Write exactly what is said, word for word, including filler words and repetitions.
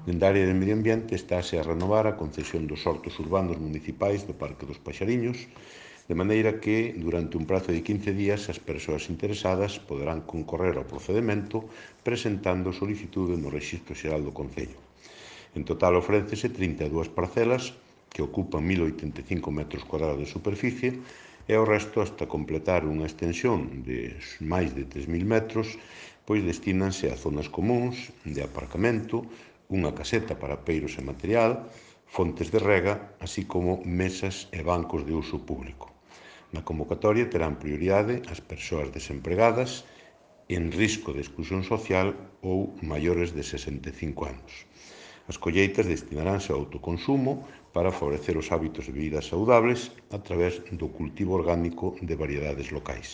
Dende a área de medio ambiente estáse a renovar a concesión dos hortos urbanos municipais do Parque dos Paxariños, de maneira que, durante un prazo de quince días, as persoas interesadas poderán concorrer ao procedemento presentando solicitude no Rexistro Xeral do Concello. En total ofrécese trinta e dúas parcelas que ocupan mil oitenta e cinco metros cuadrados de superficie e o resto, hasta completar unha extensión de máis de tres mil metros, pois destínanse a zonas comúns de aparcamento, unha caseta para peiros e material, fontes de rega, así como mesas e bancos de uso público. Na convocatoria terán prioridade as persoas desempregadas, en risco de exclusión social ou maiores de sesenta e cinco anos. As colleitas destinaránse ao autoconsumo para favorecer os hábitos de vida saudables a través do cultivo orgánico de variedades locais.